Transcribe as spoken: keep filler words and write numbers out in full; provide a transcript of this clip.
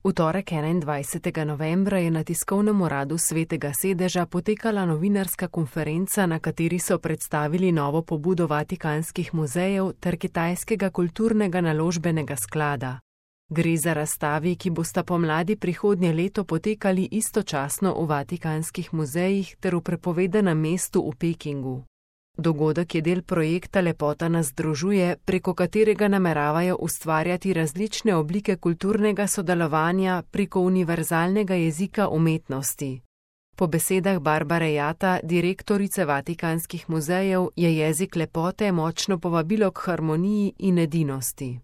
V torek enaindvajsetega novembra je na tiskovnem uradu Svetega sedeža potekala novinarska konferenca, na kateri so predstavili novo pobudo vatikanskih muzejev ter kitajskega kulturnega naložbenega sklada. Gre za razstavi, ki bosta pomladi prihodnje leto potekali istočasno v vatikanskih muzejih ter v prepovedanem mestu v Pekingu. Dogodek je del projekta Lepota nas združuje, preko katerega nameravajo ustvarjati različne oblike kulturnega sodelovanja preko univerzalnega jezika umetnosti. Po besedah Barbare Jata, direktorice Vatikanskih muzejev, je jezik lepote močno povabilo k harmoniji in edinosti.